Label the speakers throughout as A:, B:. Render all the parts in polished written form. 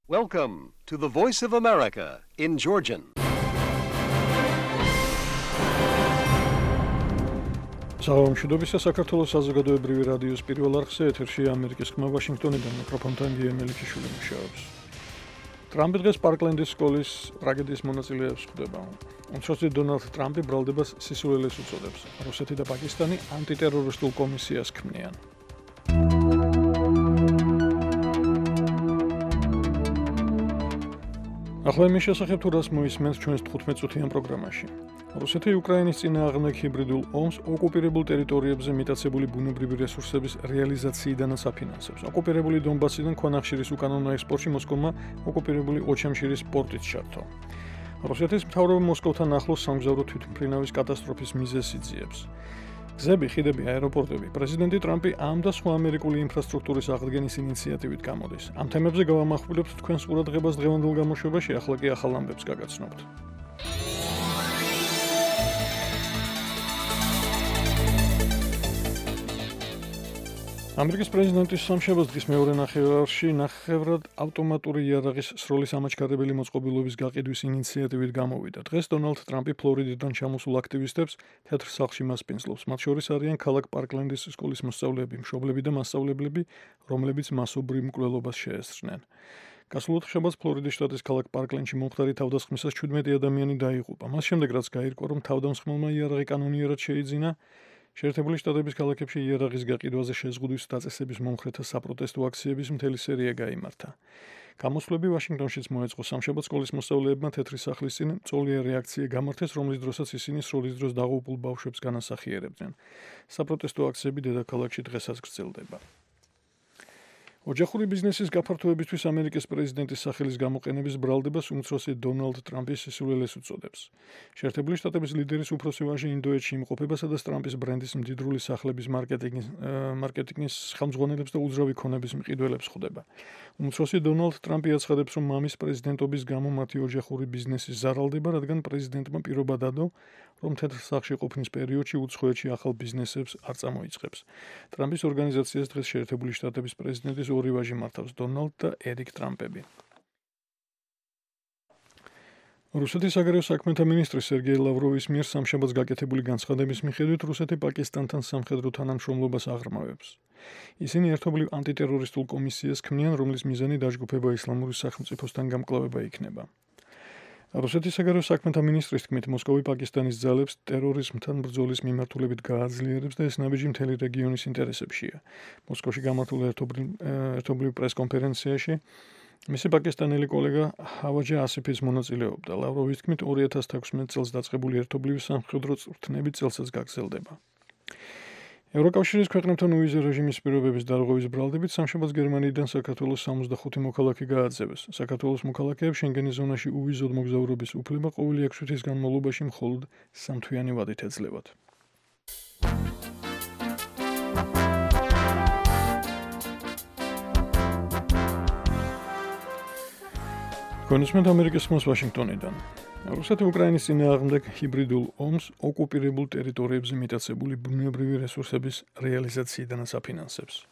A: Welcome to the Voice of America in Georgian.
B: Საუბრობთ საქართველოს საზოგადოებრივი რადიოს პირველ არხზე ეთერში ამერიკის ხმა ვაშინგტონიდან მიკროფონთან გიემელიჩიშვილი მუშაობს. ტრამპი დღეს პარკლენდის სკოლის ტრაგედიის მონაწილეებს ხვდება. უმცროსი დონალდ ტრამპი ბრალდებას სისულელეს უწოდებს. რუსეთი და პაკისტანი ანტიტერორისტულ კომისიას ქმნიან. ახლა იმის შესახებ თუ რას მოისმენთ ჩვენს 15 წუთიან პროგრამაში. რუსეთი უკრაინის წინააღმდეგ ჰიბრიდულ ომს ოკუპირებულ ტერიტორიებზე მიტაცებული ბუნებრივი რესურსების რეალიზაციიდანაც აფინანსებს. ოკუპირებული დონბასიდან ქვანახშირის უკანონო ექსპორტში მოსკოვმა ოკუპირებული ოჩამშირის პორტით ჩართო. რუსეთის მთავრობა მოსკოვთან ახლოს სამგზავრო თვითმფრინავის კატასტროფის მიზეზს იძიებს. გზები, ხიდები, აეროპორტები, პრეზიდენტი ტრამპი ამ და სხვა ამერიკული ინფრასტრუქტურის აღდგენის ინიციატივით გამოდის. ამ თემებზე გავამახვილებთ თქვენს ყურადღებას დღევანდელ გამოშვებაში, ახლა კი ახალ ამბებს გაგაცნობთ. ამერიკის პრეზიდენტის სამშაბათს დღის მეორე ნახევარში ნახევრად ავტომატური იარაღის სროლის ამაჩქარებელი მოწყობილობის გაყიდვის ინიციატივით გამოვიდა. დღეს დონალდ ტრამპი ფლორიდიდან ჩამოსულ აქტივისტებს თეთრ სახლში მასპინძლობს. მათ შორის არიან ქალაქ პარკლენდის სკოლის მოსწავლეები, მშობლები და მასწავლებლები, რომლებიც მასობრივ მკვლელობას შეესწრნენ. გასულ ოთხშაბათს ფლორიდის შტატის ქალაქ პარკლენდში მომხდარი თავდასხმისას 17 ადამიანი დაიღუპა. მას შემდეგ რაც გაირკვა, რომ თავდამსხმელმა იარაღი კანონიერად შეიძინა, შეერთებული შტატების ქალაქებში იარაღის გაყიდვაზე შეზღუდვის დაწესების მომხრეთა საპროტესტო აქციების მთელი სერია გაიმართა. გამოსვლები ვაშინგტონშიც მოეწყო. სამშაბათს სკოლის მოსწავლეებმა თეთრი სახლის წინ წოლიერ რეაქცია გამართეს, რომლის დროსაც ისინი სროლის დროს დაღუპულ ბავშვებს განასახიერებდნენ. საპროტესტო აქციები დედაქალაქში დღესაც გრძელდება. ოჯახური ბიზნესის გაფართოებისთვის ამერიკის პრეზიდენტის სახელის გამოყენების ბრალდებას უმცროსი დონალდ ტრამპი სისულელეს უწოდებს. შეერთებული შტატების ლიდერის უფროსი ვაჟი ინდოეთში იმყოფება, სადაც ტრამპის ბრენდის მდიდრული სახლების მარკეტინგის ხელმძღვანელებს და უძრავი ქონების მყიდველებს ხვდება. უმცროსი დონალდ ტრამპი აცხადებს, რომ მამის პრეზიდენტობის გამო მათი ოჯახური ბიზნესი ზარალდება, რადგან პრეზიდენტმა პირობა დადო, რომ თეთრ სახლში ყოფნის პერიოდში უცხოეთში ახალ ბიზნესებს არ წამოიწყებს. ტრამპის ორგანიზაციას დღეს შეერთებული შტატების პრეზიდენტის ორი ვაჟი მართავს, დონალდ და ერიკ ტრამპები. რუსეთის საგარეო საქმეთა მინისტრი სერგეი ლავროვის მიერ სამშაბათს გაკეთებული განცხადების მიხედვით რუსეთი პაკისტანთან სამხედრო თანამშრომლობას აღრმავებს. ისინი ერთობლივ ანტიტერორისტულ კომისიას ქმნიან, რომლის მიზანი დაჯგუფება ისლამური სახელმწიფოსთან გამკლავება იქნება. რუსეთის საგარეო საქმეთა მინისტრის თქმით, მოსკოვი პაკისტანის ძალებს ტერორიზმთან ბრძოლის მიმართულებით გააძლიერებს და ეს ნაბიჯი მთელი რეგიონის ინტერესებშია. მოსკოვში გამართულ ერთობლივ პრესკონფერენციაში მისი პაკისტანელი კოლეგა ჰავაჯა ასიფის მონაწილეობდა. ლავროვის თქმით, 2016 წელს დაწყებული ერთობლივი სამხედრო წვრთნები წელსაც გაგრძელდება. ევროკავშირის ქვეყნებთან უვიზო რეჟიმის პირობების დარღვევის ბრალდებით სამშაბათს გერმანიიდან საქართველოს 65 მოქალაქე გააძევეს. საქართველოს მოქალაქეებს შენგენის ზონაში უვიზოდ მოგზაურობის უფლება ყოველი 6 თვის განმავლობაში მხოლოდ სამთვიანი ვადით ეძლებათ. კონსუმენტ ამერიკის ხმას ვაშინგტონიდან. რუსეთი უკრაინის წინააღმდეგ ჰიბრიდულ ომს ოკუპირებულ ტერიტორიებზე მიტაცებული ბუნებრივი რესურსების რეალიზაციიდანაც აფინანსებს.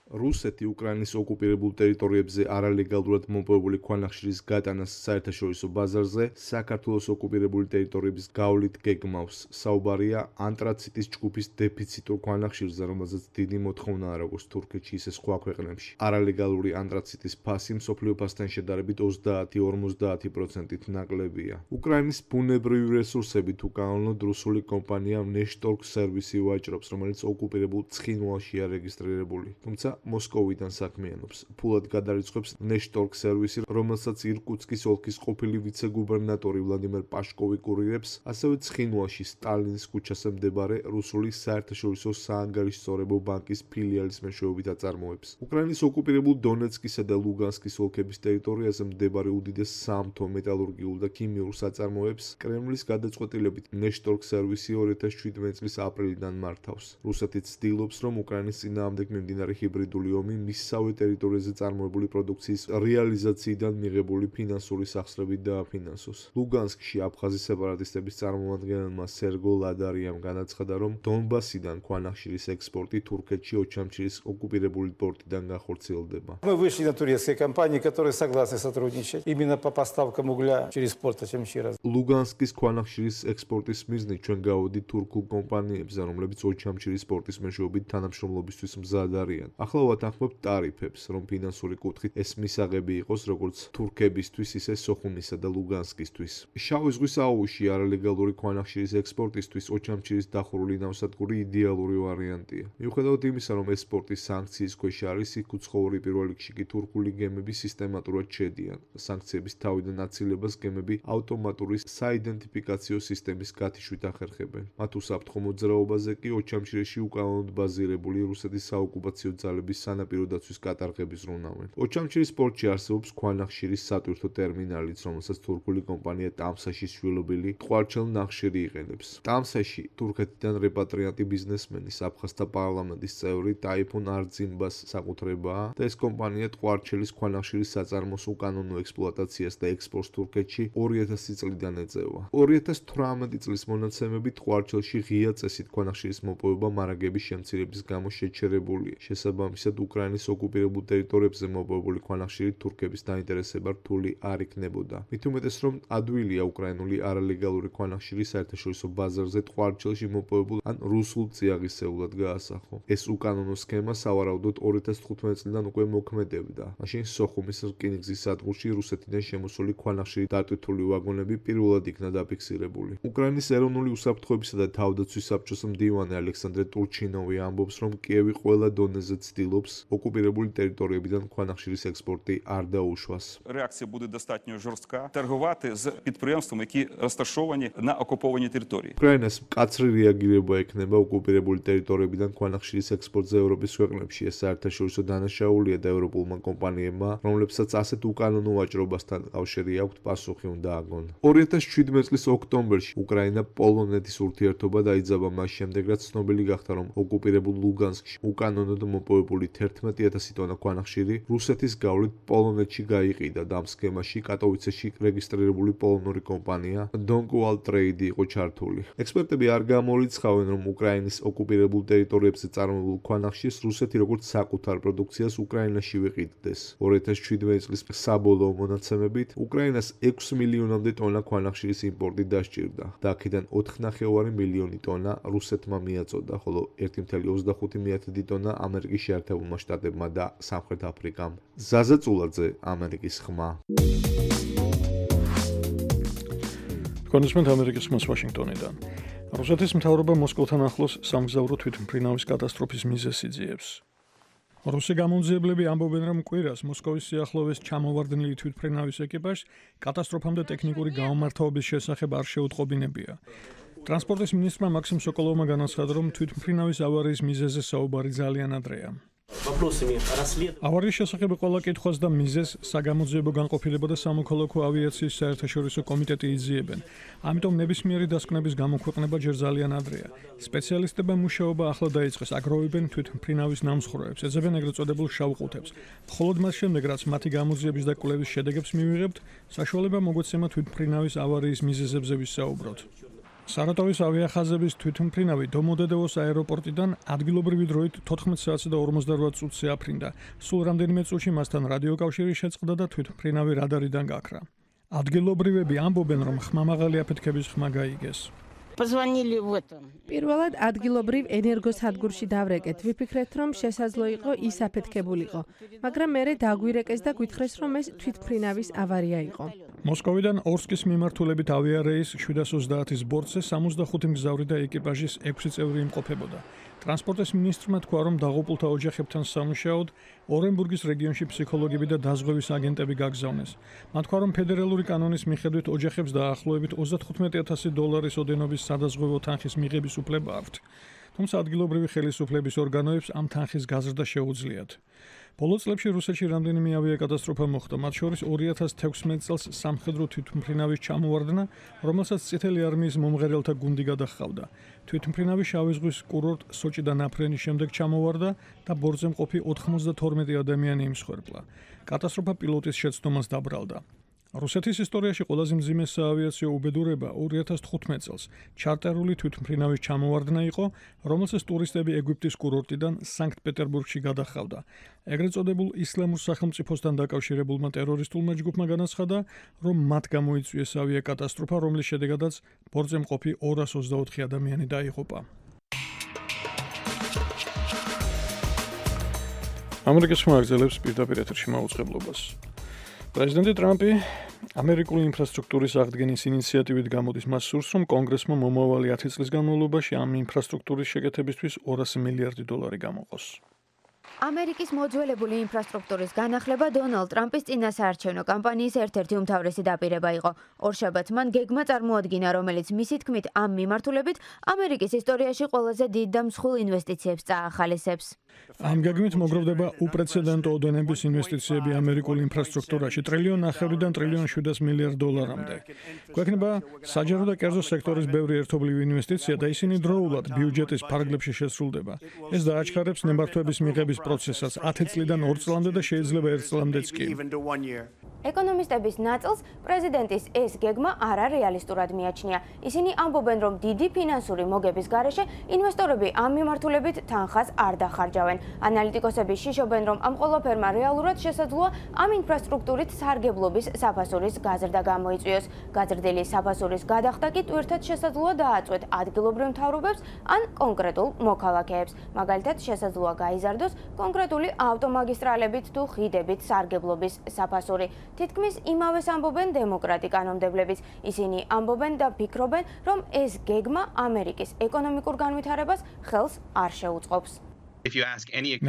C: რუსეთი უკრაინის ოკუპირებულ ტერიტორიებზე არალეგალურად მოპოვებული ქვანახშირის გატანას საერთაშორისო ბაზარზე საქართველოს ოკუპირებული ტერიტორიების გავლით გეგმავს. საუბარია ანტრაციტის ჯგუფის დეფიციტურ ქვანახშირზე, რომელზეც დიდი მოთხოვნაა როგორც თურქეთში, ისე სხვა ქვეყნებში. არალეგალური ანტრაციტის ფასი მსოფლიო ფასთან შედარებით 30-50%-ით ნაკლებია. უკრაინის ბუნებრივი რესურსებით უკანონოდ რუსული კომპანია ნეშტორგ სერვისი ვაჭრობს, რომელიც ოკუპირებულ ცხინვალშია რეგისტრირებული. თუმცა მოსკოვიდან საქმიანობს. ფულად გადარიცხებს ნეშტორგ სერვისი, რომელსაც ირკუტსკის ოლქის ყოფილი ვიცე-გუბერნატორი ვლადიმერ პაშკოვი კურირებს, ასევე ცხინვალში სტალინის ქუჩაზე მდებარე რუსული საერთაშორისო საანგარიშსწორებო ბანკის ფილიალის მეშვეობით აწარმოებს. უკრაინის ოკუპირებულ დონეცკისა და ლუგანსკის ოლქების ტერიტორიაზე მდებარე უდიდეს სამთო, მეტალურგიულ და ქიმიურ საწარმოებს კრემლის გადაწყვეტილებით ნეშტორგ სერვისი 2017 წლის აპრილიდან მართავს. რუსეთი ცდილობს, რომ უკრაინის წინააღმდეგ მიმდინარე ჰიბრიდული ჰიბრიდული ომი მისსავე ტერიტორიაზე წარმოებული პროდუქციის რეალიზაციიდან მიღებული ფინანსური სახსრებით დააფინანსოს. ლუგანსკში აფხაზი სეპარატისტების წარმომადგენელმა სერგო ლადარიამ განაცხადა, რომ დონბასიდან ქვანახშირის ექსპორტი თურქეთში ოჩამჩირის ოკუპირებული პორტიდან განხორციელდება.
D: Мы вышли на турецкие компании, которые согласны сотрудничать именно по поставкам угля через порт Очамчира.
C: ლუგანსკის ქვანახშირის ექსპორტის მიზნით ჩვენ გავოდით თურქულ კომპანიებზე, რომლებიც ოჩამჩირის პორტის მეშვეობით თანამშრომლობისთვის მზად არიან. ახლა ვათანხმებთ ტარიფებს, რომ ფინანსური კუთხით ეს მისაღები იყოს როგორც თურქებისთვის, ისე სოხუმისა და ლუგანსკისთვის. შავი ზღვის აუზში არალეგალური ქვანახშირის ექსპორტისთვის ოჩამჩირის დახურული ნავსადგური იდეალური ვარიანტია. მიუხედავად იმისა, რომ ეს პორტი სანქციის ქვეშ არის, იქ უცხოური პირველ რიგში კი თურქული გემები სისტემატურად შედიან. სანქციების თავიდან აცილებას გემები ავტომატური საიდენტიფიკაციო სისტემის გათიშვით ახერხებენ. მათ უსაფრთხო მოძრაობაზე კი ოჩამჩირეში უკანონოდ ბაზირებული რუსეთის საოკუპაციო ძალების სანაპირო დაცვის კატარღები ზრუნავენ. ოჩამჩირის პორტში არსებობს ქვანახშირის სატვირთო ტერმინალიც, რომელსაც თურქული კომპანია ტამსაშის შვილობილი ტყვარჩელ ნახშირი იყენებს. ტამსაში თურქეთიდან რეპატრიანტი ბიზნესმენის აფხაზთა პარლამენტის წევრი ტაიფუნ არძიმბას საკუთრებაა და ეს კომპანია ტყვარჩელის ქვანახშირის საწარმოს უკანონო ექსპლუატაციას და ექსპორტს თურქეთში 2000 წლიდან ეწევა. 2018 წლის მონაცემებით ტყვარჩელში ღია წესით ქვანახშირის მოპოვება მარაგების შემცირების გამო შეჩერებულია. შესაბამისად, უკრაინის ოკუპირებულ ტერიტორიებზე მოპოვებული ქვანახშირი თურქების დაინტერესება რთული არ იქნებოდა. მით უმეტეს, რომ ადვილია უკრაინული არალეგალური ქვანახშირი საერთაშორისო ბაზარზე ტყვარჩელში მოპოვებულ ან რუსულ წიაღისეულად გაასახო. ეს უკანონო სქემა სავარაუდოდ 2015 წლიდან უკვე მოქმედებდა. მაშინ სოხუმის რკინიგზის სადგურში რუსეთიდან შემოსული ქვანახშირი დატვირთული ვაგონები პირველად იქნა დაფიქსირებული. უკრაინის ეროვნული უსაფრთხოებისა და თავდაცვის საბჭოს მდივანი ალექსანდრე ტურჩინოვი ამბობს, რომ კიევი ყველა დონეზე ცდილობს ოკუპირებული ტერიტორიებიდან ქვანახშირის ექსპორტი არ დაუშვას.
E: Реакція буде достатньо жорстка. Торгувати з підприємствами, які розташовані на окупованій території.
C: უკრაინას მკაცრი რეაგირება ექნება ოკუპირებული ტერიტორიებიდან ქვანახშირის ექსპორტზე ევროპის ქვეყნებში. ეს საერთაშორისო დანაშაულია და ევროპულმა კომპანიებმა, რომლებსაც ასეთ უკანონო ვაჭრობასთან კავშირი აქვთ, პასუხი უნდა აგონ. 2017 წლის ოქტომბერში უკრაინა პოლონეთის ურთიერთობა დაიძაბა მას შემდეგ, რაც ცნობილი გახდა, რომ ოკუპირებულ ლუგანსკში უკანონოდ მოპოვებული 11000 ტონა ქვანახშირი რუსეთის გავლით პოლონეთში გაიყიდა და ამ სქემაში კატოვიცეში რეგისტრირებული პოლონური კომპანია Donkwall Trade იყო ჩართული. ექსპერტები არ გამორიცხავენ, რომ უკრაინის ოკუპირებულ ტერიტორიებზე წარმოებულ ქვანახშირს რუსეთი როგორც საკუთარ პროდუქციას უკრაინაში ვიყიდდეს. 2017 წლის საბოლოო მონაცემებით უკრაინას 6 მილიონამდე ტონა ქვანახშირის იმპორტი დასჭირდა და აქედან 4,5 მილიონი ტონა რუსეთმა მიაწოდა, ხოლო 1,25 ტონა ამერიკის შეერთებულმა შტატებმა და სამხრეთ აფრიკამ. ზაზა წულაძე, ამერიკის ხმა.
B: კონსუმენტ ამერიკის ხმას ვაშინგტონიდან. რუსეთის მთავრობა მოსკოვთან ახლოს სამგზავრო თვითმფრინავის კატასტროფის მიზეზს იძიებს. რუსი გამომძიებლები ამბობენ, რომ კვირას მოსკოვის სიახლოვეს ჩამოვარდნილი თვითმფრინავის ეკიპაჟს კატასტროფამდე ტექნიკური გამომართვების შესახებ არ შეუტყობინებია. ტრანსპორტის მინისტრმა მაქსიმ სოკოლოვმა განაცხადა, რომ თვითმფრინავის ავარიის მიზეზზე საუბარი ძალიან ადრეა. ავარიის შესახებ ყველა კითხვას და მიზეზს საგამოძიებო განყოფილება და სამოქალაქო ავიაციის საერთაშორისო კომიტეტი იძიებენ. ამიტომ ნებისმიერი დასკვნების გამოქვეყნება ჯერ ძალიან ადრეა. სპეციალისტებმა მუშაობა ახლა დაიწყეს, აგროვებენ თვითმფრინავის ნამსხვრევებს, ეძებენ ეგრეთ წოდებულ შავ ყუთებს. მხოლოდ მას შემდეგ, რაც მათი გამოძიების და კვლევის შედეგებს მივიღებთ, საშუალება მოგვეცემა თვითმფრინავის ავარიის მიზეზებზე ვისაუბროთ. სარატოვის ავიახაზების თვითმფრინავი დომოდედევოს აეროპორტიდან ადგილობრივი დროით 14 საათსა და 48 წუთზე აფრინდა. სულ რამდენიმე წუთში მასთან რადიოკავშირი შეწყდა და თვითმფრინავი რადარიდან გაქრა. ადგილობრივები ამბობენ, რომ ხმამაღალი აფეთქების ხმა გაიგეს.
F: პირველად ადგილობრივ ენერგოსადგურში დავრეკეთ. ვიფიქრეთ, რომ შესაძლო იყო ის აფეთქებულიყო, მაგრამ მერე დაგვირეკეს და გვითხრეს, რომ ეს თვითმფრინავის ავარია იყო.
B: მოსკოვიდან ორსკის მიმართულებით ავიარეის 730-ის ბორტზე 65 მგზავრი და ეკიპაჟის 6 წევრი იმყოფებოდა. ტრანსპორტის მინისტრმა თქვა, რომ დაღუპულთა ოჯახებთან სამუშაოდ ორენბურგის რეგიონში ფსიქოლოგები და დაზღვევის აგენტები გაგზავნეს. მათ თქვა, რომ ფედერალური კანონის მიხედვით ოჯახებს დაახლოებით $35,000 ოდენობის სადაზღვევო თანხის მიღების უფლება აქვთ. თუმცა ადგილობრივი ხელისუფლების ორგანოებს ამ თანხის გაზრდა შეუძლიათ. ბოლო წლებში რუსეთში რამდენიმე ავიაკატასტროფა მოხდა, მათ შორის 2016 წელს სამხედრო თვითმფრინავის ჩამოვარდნა, რომელსაც წითელი არმიის მომღერალთა გუნდი გადაჰყავდა. თვითმფრინავი შავი ზღვის კურორტ სოჭიდან აფრენის შემდეგ ჩამოვარდა და ბორტზე მყოფი 92 ადამიანი იმსხვერპლა. კატასტროფა პილოტის შეცდომას დაბრალდა. რუსეთის ისტორიაში ყველაზე მძიმე საავიაციო უბედურება 2015 წელს ჩარტერული თვითმფრინავის ჩამოვარდნა იყო, რომელსაც ტურისტები ეგვიპტის კურორტიდან სანქტ-პეტერბურგში გადაჰყავდა. ეგრეთ წოდებულ ისლამურ სახელმწიფოსთან დაკავშირებულმა ტერორისტულმა ჯგუფმა განაცხადა, რომ მათ გამოიწვიეს ავიაკატასტროფა, რომლის შედეგადაც ბორტზე მყოფი 224 ადამიანი დაიღუპა. ამერიკის ხმა აგრძელებს პირდაპირ ეთერში მაუწყებლობას. პრეზიდენტი ტრამპი ამერიკული ინფრასტრუქტურის აღდგენის ინიციატივით გამოდის, მას სურს, რომ კონგრესმა მომავალი 10 წლის განმავლობაში ამ ინფრასტრუქტურის შეკეთებისთვის $200 მილიარდი გამოყოს.
G: ამერიკის მოძველებული ინფრასტრუქტურის განახლება დონალდ ტრამპის წინასაარჩევნო კამპანიის ერთ-ერთი უმთავრესი დაპირება იყო. ორშაბათს მან გეგმა წარმოადგინა, რომელიც მისი თქმით ამ მიმართულებით ამერიკის ისტორიაში ყველაზე დიდ და მსხვილ ინვესტიციებს წაახალისებს.
B: ამ გეგმით მოგროვდება უპრეცედენტო ოდენების ინვესტიციები ამერიკულ ინფრასტრუქტურაში $1.5-დან $1.7 მილიარდამდე. გვექნება საჯარო და კერძო სექტორის ბევრი ერთობლივი ინვესტიცია და ისინი დროულად ბიუჯეტის ფარგლებში შესრულდება. ეს დააჩქარებს ნებართვების მიღების პროცესს 10 წლიდან 2 წლამდე და შეიძლება 1 წლამდეც კი.
G: ეკონომისტების ნაწილს პრეზიდენტის ეს გეგმა არარეალისტურად მიაჩნია. ისინი ამბობენ, რომ დიდი ფინანსური მოგების გარეშე ინვესტორები ამ მიმართულებით თანხას არ დახარჯავენ. ანალიტიკოსები შიშობენ, რომ ამ ყველაფერმა რეალურად შესაძლოა ამ ინფრასტრუქტურით სარგებლობის საფასურის გაზრდა გამოიწვიოს. გაზრდილი საფასურის გადახდა კი ტვირთად შესაძლოა დააწვეთ ადგილობრივ მთავრობებს ან კონკრეტულ მოქალაქეებს. მაგალითად, შესაძლოა გაიზარდოს კონკრეტული ავტომაგისტრალებით თუ ხიდებით სარგებლობის საფასური. თითქმის იმავეს ამბობენ დემოკრატი კანონმდებლებიც. ისინი ამბობენ და ფიქრობენ, რომ ეს გეგმა ამერიკის ეკონომიკურ განვითარებას ხელს არ შეუწყობს.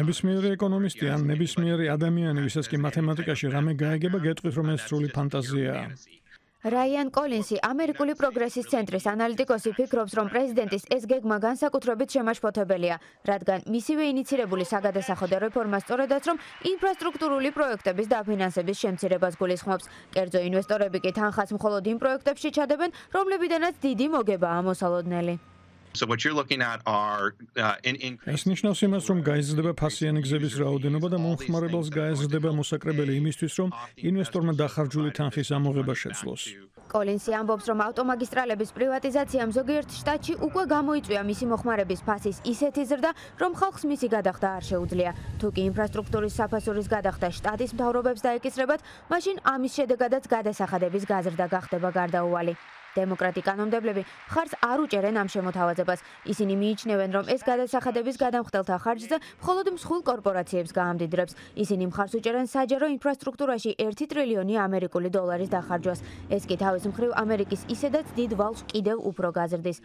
B: ნებისმიერი ეკონომისტი ან ნებისმიერი ადამიანი, ვისაც კი მათემატიკაში რამე გაიგება, გეტყვით, რომ ეს სრული ფანტაზიაა.
G: რაიან კოლინსი, ამერიკული პროგრესის ცენტრის ანალიტიკოსი, ფიქრობს, რომ პრეზიდენტის ეს გეგმა განსაკუთრებით შემაშფოთებელია, რადგან მისივე ინიცირებული საგადასახადო რეფორმა სწორედაც, რომ ინფრასტრუქტურული პროექტების დაფინანსების შემცირებას გულისხმობს. კერძო ინვესტორები კი თანხას მხოლოდ იმ პროექტებში ჩადებენ, რომლებიდანაც დიდი მოგებაა მოსალოდნელი.
B: ეს ნიშნავს იმას, რომ გაიზრდება ფასიანი გზების რაოდენობა და მომხმარებელს გაეზრდება მოსაკრებელი იმისთვის, რომ ინვესტორმა დახარჯული თანხის ამოღება შეძლოს.
G: კოლინსი ამბობს, რომ ავტომაგისტრალების პრივატიზაციამ ზოგიერთ შტატში უკვე გამოიწვია მისი მოხმარების ფასის ისეთი ზრდა, რომ ხალხს მისი გადახდა არ შეუძლია. თუ კი ინფრასტრუქტურის საფასურის გადახდა შტატის მთავრობებს დაეკისრებათ, მაშინ ამის შედეგადაც გადასახადების გაზრდა გახდება გარდაუვალი. დემოკრატი კანონმდებლები მხარს არ უჭერენ ამ შემოთავაზებას. ისინი მიიჩნევენ, რომ ეს გადასახადების გადამხდელთა ხარჯზე მხოლოდ მსხვილ კორპორაციებს გაამდიდრებს. ისინი მხარს უჭერენ საჯარო ინფრასტრუქტურაში 1 ტრილიონი ამერიკული დოლარის დახარჯვას. ეს კი თავის მხრივ ამერიკის ისედაც დიდ ვალს კიდევ უფრო გაზრდის.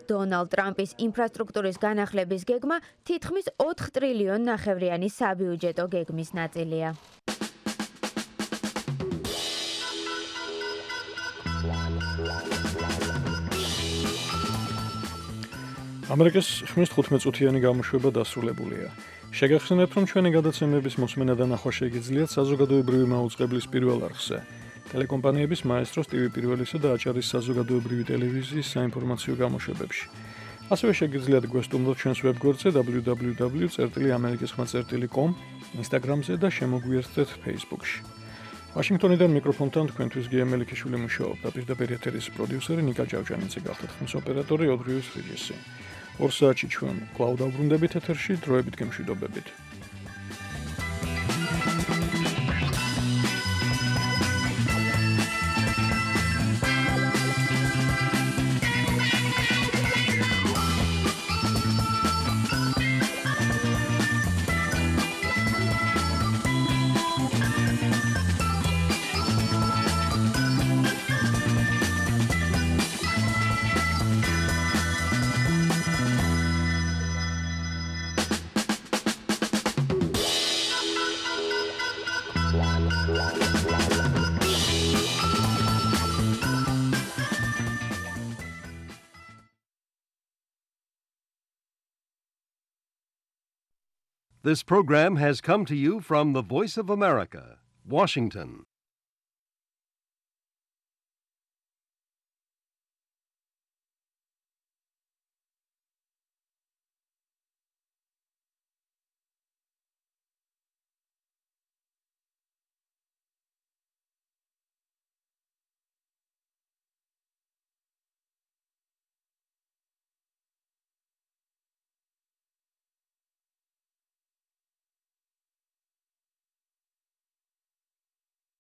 G: დონალდ ტრამპის ინფრასტრუქტურის განახლების გეგმა თითქმის 4 ტრილიონ ნახევრიანი საბიუჯეტო გეგმის ნაწილია.
B: ამერიკის ხმის 15 წუთიანი გამოშვება დასრულებულია. შეგახსენებთ, რომ ჩვენი გადაცემების მოსმენა და ნახვა შეგიძლიათ საზოგადოებრივი მაუწყებლის პირველ არხზე, ტელეკომპანიების მაესტროს TV პირველისა და აჭარის საზოგადოებრივი ტელევიზიის საინფორმაციო გამოშვებებში. ასევე შეგიძლიათ გვესტუმროთ ჩვენს ვებგვერდზე www.amerikiskhma.com, Instagram-ზე და შემოგვიერთდეთ Facebook-ში. ვაშინგტონიდან მიკროფონთან თქვენთვის გია მელიქიშვილი მუშაობდა. პირდაპირ ეთერის პროდიუსერი ნიკა ჭავჭანიძე გახდა, ხმის ოპერატორი ოდრიუს რიჯესი. 2 საათში ჩვენ კვლავ დავბრუნდებით ეთერში, დროებით გემშვიდობებით.
A: This program has come to you from the Voice of America, Washington.